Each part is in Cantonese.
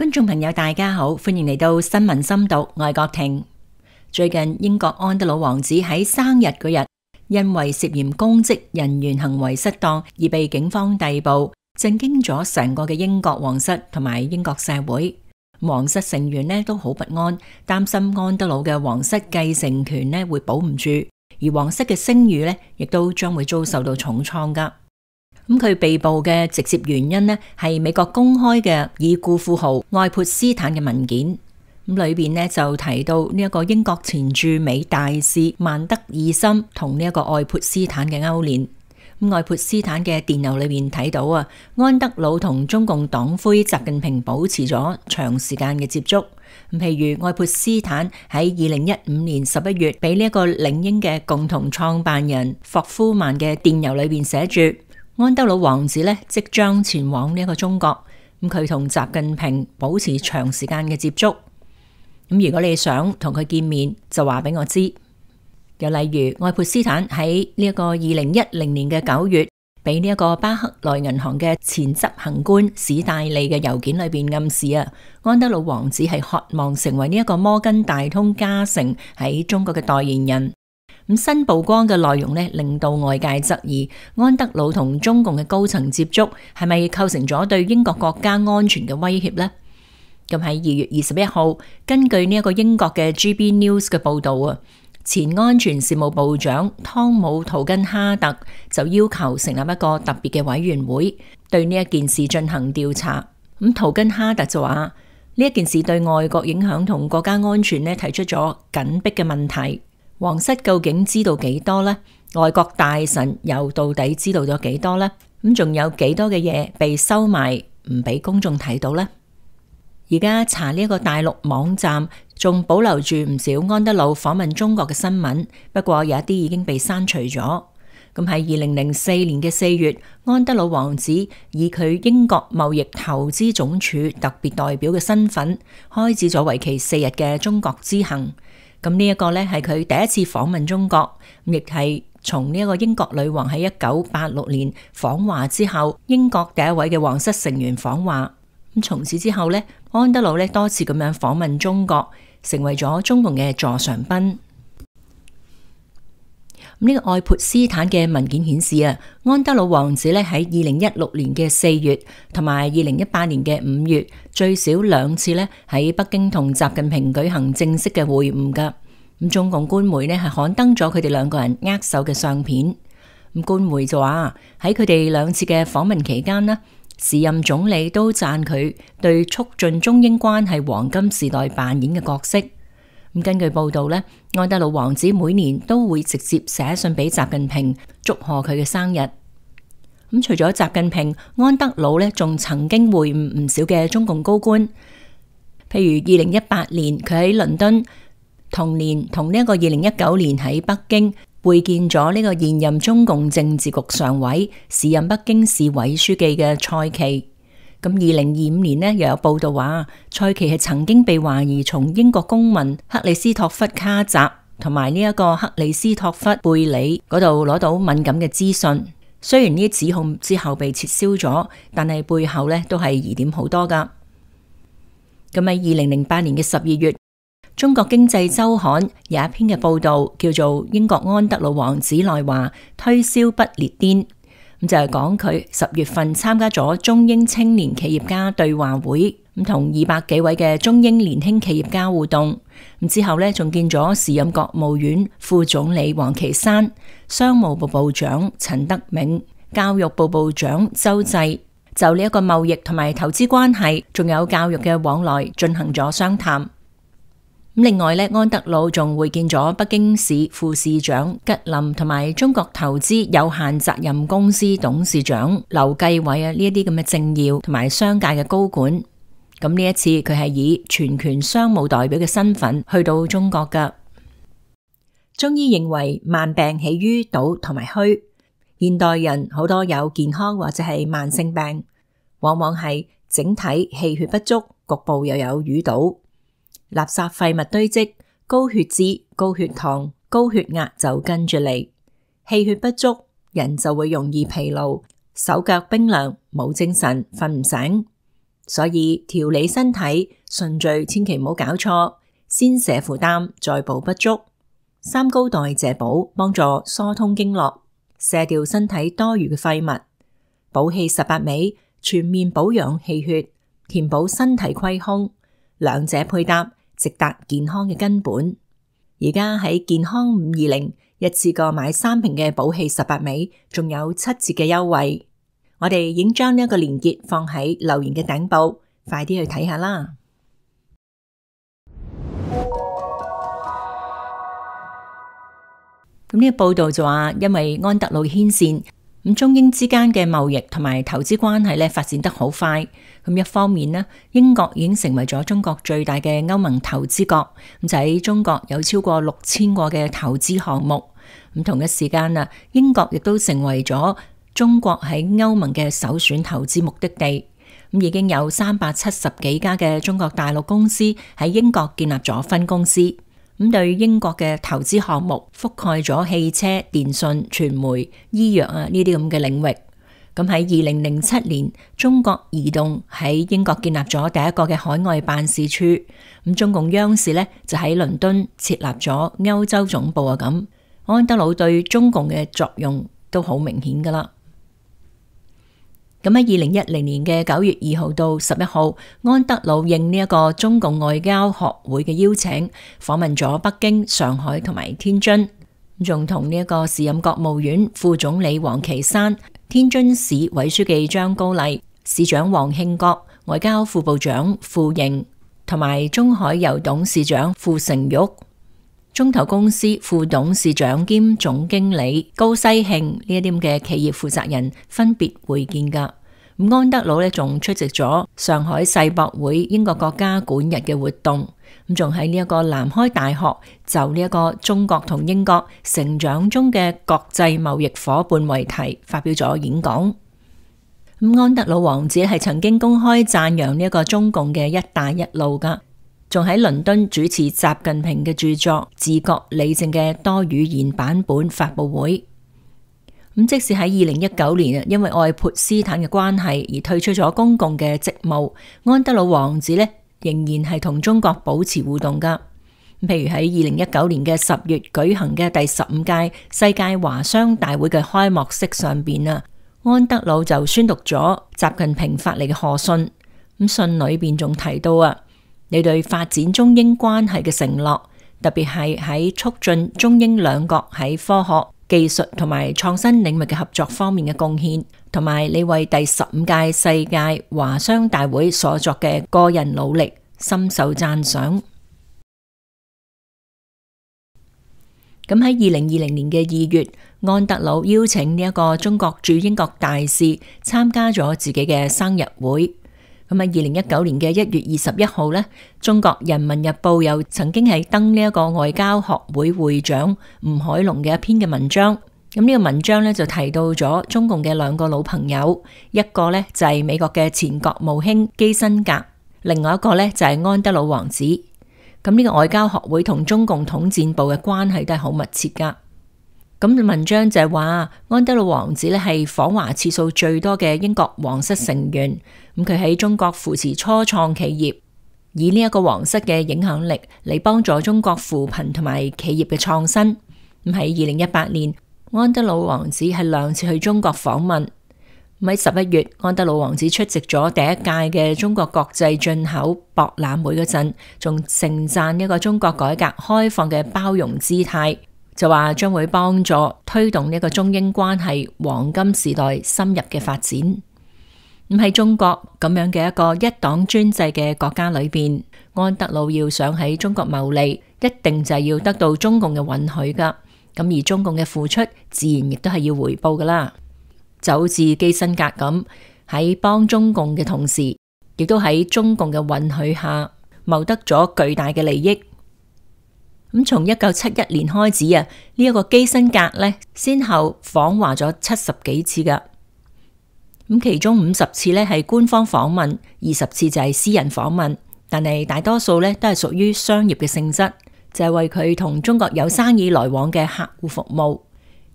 觀眾朋友大家好，歡迎嚟到新聞深讀，我係郭婷。最近英國安德魯王子喺生日嗰日，因為涉嫌公職人員行為失當而被警方逮捕，震驚咗成個嘅英國皇室同埋英國社會。皇室成員呢都好不安，擔心安德魯嘅皇室繼承權呢會保唔住，而皇室嘅聲譽呢亦都將會遭受到重創噶。咁佢被捕嘅直接原因呢，係美國公開嘅已故富豪愛潑斯坦嘅文件。咁裏邊呢就提到呢一個英國前駐美大使曼德爾森同呢一個愛潑斯坦嘅勾連。咁愛潑斯坦嘅電郵裏面睇到啊，安德魯同中共黨魁習近平保持咗長時間嘅接觸。譬如愛潑斯坦喺2015年11月俾呢一個領英嘅共同創辦人霍夫曼嘅電郵裏邊寫住，安德魯王子呢即將前往呢一個中國，咁佢同習近平保持長時間嘅接觸。咁如果你想同佢見面，就話俾我知。又例如愛潑斯坦喺呢一個2010年嘅9月，俾呢一個巴克萊銀行嘅前執行官史戴利嘅郵件裏邊暗示啊，安德魯王子係渴望成為呢一個摩根大通嘉誠喺中國嘅代言人。咁新曝光嘅內容呢，令到外界質疑安德魯同中共嘅高層接觸係咪構成咗對英國國家安全嘅威脅呢？咁喺2月21號，根據呢一個英國嘅 GB News 嘅報道啊，前安全事務部長湯姆圖根哈特就要求成立一個特別嘅委員會，對呢一件事進行調查。咁圖根哈特就話呢一件事對外國影響同國家安全呢提出咗緊迫嘅問題。皇室究竟知道幾多呢？外國大臣又到底知道咗幾多呢？咁仲有幾多嘅嘢被收埋唔俾公眾睇到呢？而家查呢一個大陸網站仲保留住唔少安德魯訪問中國嘅新聞，不過有一啲已經被刪除咗。咁喺2004年嘅4月，安德魯王子以佢英國貿易投資總署特別代表嘅身份，開始咗為期4日嘅中國之行。咁呢一個呢係佢第一次訪問中國，亦係從呢一個英國女王喺1986年訪華之後，英國第一位嘅皇室成員訪華。咁從此之後呢，安德魯呢多次咁樣訪問中國，成為咗中共嘅座上賓。呢個愛潑斯坦嘅文件顯示啊，安德魯王子呢喺2016年嘅4月同埋2018年嘅5月，最少2次呢喺北京同習近平舉行正式嘅會晤噶。咁中共官媒呢係刊登咗佢哋兩個人握手嘅相片。咁官媒就話喺佢哋2次嘅訪問期間呢，時任總理都讚佢對促進中英關係黃金時代扮演嘅角色。咁根據報道呢，安德魯王子每年都會直接寫信俾習近平祝賀佢嘅生日。咁除咗習近平，安德魯呢仲曾經會晤唔少嘅中共高官，譬如2018年佢喺倫敦，同年同呢一個2019年喺北京會見咗呢個現任中共政治局常委、時任北京市委書記嘅蔡奇。咁2025年呢，又有報道話，蔡奇係曾經被懷疑從英國公民克里斯托弗卡澤同埋呢一個克里斯托弗貝里嗰度攞到敏感嘅資訊。雖然呢啲指控之後被撤銷咗，但係背後呢都係疑點好多噶。咁喺2008年嘅12月，中國經濟週刊有一篇嘅報道，叫做《英國安德魯王子來華推銷不列顛》。咁就係講佢10月份參加咗中英青年企業家對話會，咁同200幾位嘅中英年輕企業家互動。咁之後呢，仲見咗時任國務院副總理王岐山、商務部部長陳德銘、教育部部長周濟，就呢一個貿易同埋投資關係，仲有教育嘅往來進行咗商談。另外呢，安德魯仲會見咗北京市副市長吉林同埋中國投資有限責任公司董事長劉繼偉啊，呢一啲咁嘅政要同埋商界嘅高管。咁呢一次佢係以全權商務代表嘅身份去到中國噶。中醫認為萬病起於堵同埋虛，現代人好多有健康或者係慢性病，往往係整體氣血不足，局部又有淤堵。垃圾廢物堆積，高血脂、高血糖、高血壓就跟住嚟。氣血不足，人就會容易疲勞，手腳冰涼，冇精神，瞓唔醒。所以調理身體順序千祈唔好搞錯，先瀉負擔，再補不足。三高代謝補幫助疏通經絡，瀉掉身體多餘嘅廢物。補氣18味全面保養氣血，填補身體虧空，兩者配搭，直達健康嘅根本。而家喺健康520一次過買3瓶嘅補氣18味，仲有7折嘅優惠。我哋已經將呢一個連結放喺留言嘅頂部，快啲去睇下啦。咁呢個報道就話，因為安德魯牽線，咁中英之間嘅貿易同埋投資關係咧發展得好快。咁一方面呢，英國已經成為咗中國最大嘅歐盟投資國，咁就喺中國有超過6000個嘅投資項目。咁同一時間啊，英國亦都成為咗中國喺歐盟嘅首選投資目的地。咁已經有370幾家嘅中國大陸公司喺英國建立咗分公司。咁對英國嘅投資項目覆蓋咗汽車、電信、傳媒、醫藥呢啲咁嘅領域。咁喺2007年，中國移動喺英國建立咗第一個嘅海外辦事處。咁中共央視呢就喺倫敦設立咗歐洲總部啊。咁安德魯對中共嘅作用都好明顯噶啦。咁喺2010年嘅9月2號到11號，安德魯應呢一個中共外交學會嘅邀請，訪問咗北京、上海同埋天津，仲同呢一個時任國務院副總理王岐山、天津市委書記張高麗、市長王慶國、外交副部長傅瑩同埋中海油董事長傅成玉、中投公司副董事長兼總經理高西慶呢一啲嘅企業負責人分別會見噶。安德魯呢仲出席咗上海世博會英國國家館日嘅活動，咁仲喺呢一個南開大學就呢一個中國同英國成長中嘅國際貿易夥伴為題發表咗演講。安德魯王子係曾經公開讚揚呢一個中共嘅一帶一路噶，仲喺倫敦主持習近平嘅著作《治國理政》嘅多語言版本發布會。咁即使喺2019年因為愛潑斯坦嘅關係而退出咗公共嘅職務，安德魯王子呢仍然係同中國保持互動噶。譬如喺2019年嘅10月舉行嘅第15屆世界華商大會嘅開幕式上邊啊，安德魯就宣讀咗習近平發嚟嘅賀信。咁信裏邊仲提到啊，你對發展中英關係嘅承諾，特別係喺促進中英兩國喺科學、技術同埋創新領域嘅合作方面嘅貢獻，同埋你為第15屆世界華商大會所作嘅個人努力，深受讚賞。咁喺2020年嘅2月，安德魯邀請呢一個中國駐英國大使參加咗自己嘅生日會。咁喺2019年嘅1月21號呢，中國人民日報又曾經係登呢一個外交學會會長吳海龍嘅一篇嘅文章。咁呢個文章呢，就提到咗中共嘅兩個老朋友，一個呢就係美國嘅前國務卿基辛格，另外一個呢就係安德魯王子。咁呢個外交學會同中共統戰部嘅關係都係好密切噶。咁文章就係話，安德魯王子咧係訪華次數最多嘅英國皇室成員。咁佢喺中國扶持初創企業，以呢一個皇室嘅影響力嚟幫助中國扶貧同埋企業嘅創新。咁喺2018年，安德魯王子係2次去中國訪問。咁喺11月，安德魯王子出席咗第一屆嘅中國國際進口博覽會嗰陣，仲盛讚一個中國改革開放嘅包容姿態。就話將會幫助推動呢個中英關係黃金時代深入嘅發展。咁喺中國咁樣嘅一個一黨專制嘅國家裏邊，安德魯要想喺中國牟利，一定就係要得到中共嘅允許噶。咁而中共嘅付出，自然亦都係要回報噶啦。就好似基辛格咁，喺幫中共嘅同時，亦都喺中共嘅允許下，謀得咗巨大嘅利益。咁從1971年開始啊，呢一個基辛格呢，先後訪華咗70幾次噶。咁其中50次呢係官方訪問，20次就係私人訪問，但係大多數呢都係屬於商業嘅性質，就係為佢同中國有生意來往嘅客戶服務。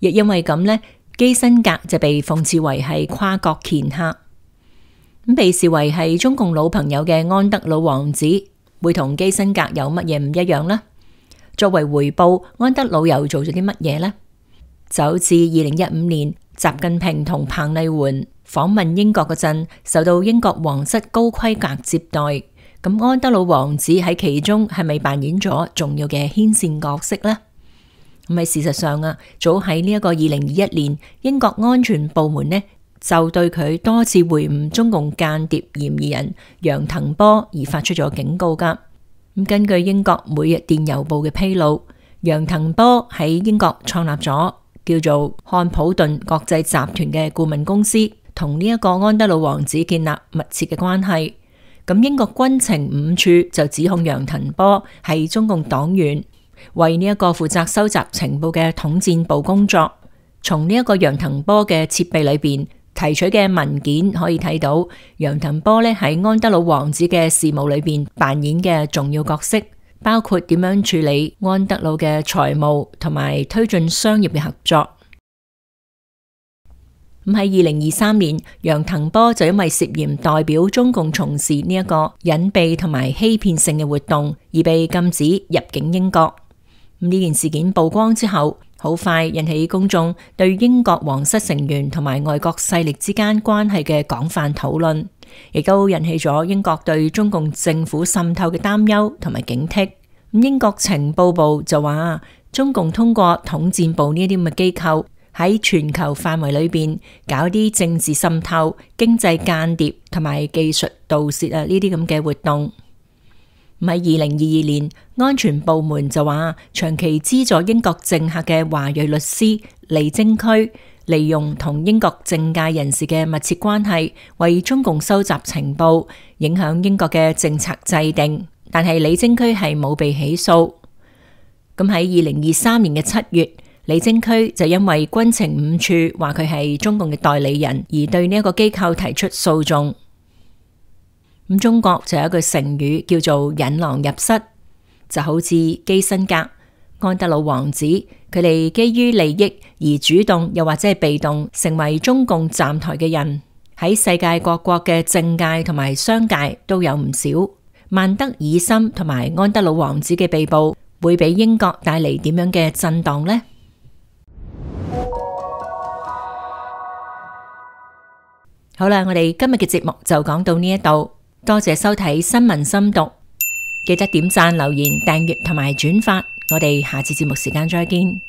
亦因為咁呢，基辛格就被諷刺為係跨國掮客。被視為係中共老朋友嘅安德魯王子會同基辛格有乜嘢唔一樣呢？作為回報，安德魯又做咗啲乜嘢呢？就好似2015年習近平同彭麗媛訪問英國嗰陣，受到英國皇室高規格接待，咁安德魯王子喺其中係咪扮演咗重要嘅牽線角色呢？咁喺事實上啊，早喺呢一個2021年，英國安全部門呢就對佢多次會晤中共間諜嫌疑人楊騰波而發出咗警告噶。咁根據英國每日電郵報嘅披露，楊騰波喺英國創立咗叫做漢普頓國際集團嘅顧問公司，同呢一個安德魯王子建立密切嘅關係。咁英國軍情5處就指控楊騰波係中共黨員，為呢一個負責收集情報嘅統戰部工作。從呢一個楊騰波嘅設備裏邊提取嘅文件可以睇到，楊騰波咧喺安德魯王子嘅事務裏邊扮演嘅重要角色，包括點樣處理安德魯嘅財務同埋推進商業嘅合作。咁喺2023年，楊騰波就因為涉嫌代表中共從事呢一個隱蔽同埋欺騙性嘅活動，而被禁止入境英國。咁呢件事件曝光之後，好快引起公眾對英國皇室成員同埋外國勢力之間關係嘅廣泛討論，亦都引起咗英國對中共政府滲透嘅擔憂同埋警惕。英國情報部就話，中共通過統戰部呢啲咁嘅機構喺全球範圍裏邊搞啲政治滲透、經濟間諜同埋技術盜竊呢啲咁嘅活動。喺2022年，安全部門就話，長期資助英國政客嘅華裔律師李貞駒，利用同英國政界人士嘅密切關係，為中共收集情報，影響英國嘅政策制定。但係李貞駒係冇被起訴。咁喺2023年嘅7月，李貞駒就因為軍情5處話佢係中共嘅代理人，而對呢一個機構提出訴訟。咁中國就有一句成語叫做引狼入室，就好似基辛格、安德魯王子，佢哋基於利益而主動又或者係被動成為中共站台嘅人，喺世界各國嘅政界同埋商界都有唔少。曼德爾森同埋安德魯王子嘅被捕，會俾英國帶嚟點樣嘅震盪呢？好啦，我哋今日嘅節目就講到呢一度。多謝收睇新聞深讀，記得點讚、留言、訂閱同埋轉發，我哋下次節目時間再見。